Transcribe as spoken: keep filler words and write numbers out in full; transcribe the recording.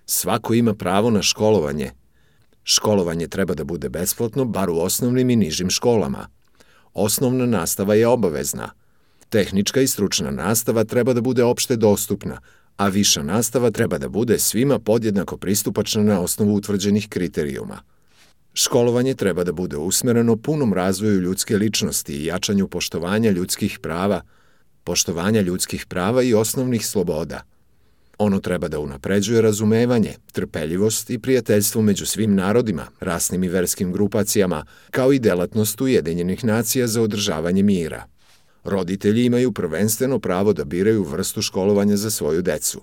Svako ima pravo na školovanje. Školovanje treba da bude besplatno, bar u osnovnim i nižim školama. Osnovna nastava je obavezna. Tehnička i stručna nastava treba da bude opšte dostupna, a viša nastava treba da bude svima podjednako pristupačna na osnovu utvrđenih kriterijuma. Školovanje treba da bude usmereno punom razvoju ljudske ličnosti i jačanju poštovanja ljudskih prava, poštovanja ljudskih prava i osnovnih sloboda. Ono treba da unapređuje razumevanje, trpeljivost i prijateljstvo među svim narodima, rasnim i verskim grupacijama, kao i delatnost Ujedinjenih nacija za održavanje mira. Roditelji imaju prvenstveno pravo da biraju vrstu školovanja za svoju decu.